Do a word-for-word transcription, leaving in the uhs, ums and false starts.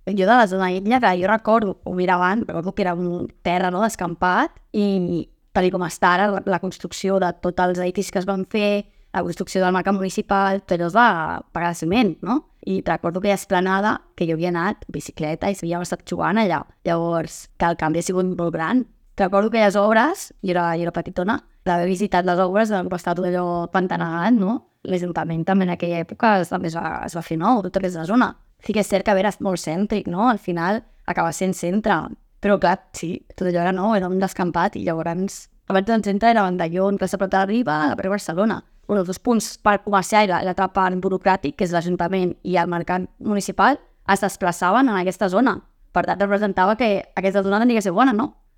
jo de la zona illa, que jo recordo, ho mirava, recordo que era un terra, no?, descampat, i tal com està ara, la, la construcció de tots els edificis que es van fer, la construcció del mercat municipal, tot allò es va pagar de ciment, no? I recordo que hi ha esplanada, que jo havia anat en bicicleta i s'havia estat jugant allà. Llavors, que el canvi ha sigut molt gran. Recordo que les obres, jo era, jo era petitona, d'haver visitat les obres, va estar tot allò pantanat, no? L'Ajuntament també en aquella època també es va, es va fer nou, tota aquesta zona. Sí que és cert que era molt cèntric, no? Al final acaba sent centre. Però clar, sí, tot allò era nou, era un descampat, i llavors abans del centre era Vandelló, Plaça Prata de Riba, a Barcelona. Un dels dos punts, parc comercial i l'altre parc burocràtic, que és l'Ajuntament i el mercat municipal, es desplaçaven en aquesta zona. Per tant, representava que aquesta zona tenia que ser bona, no?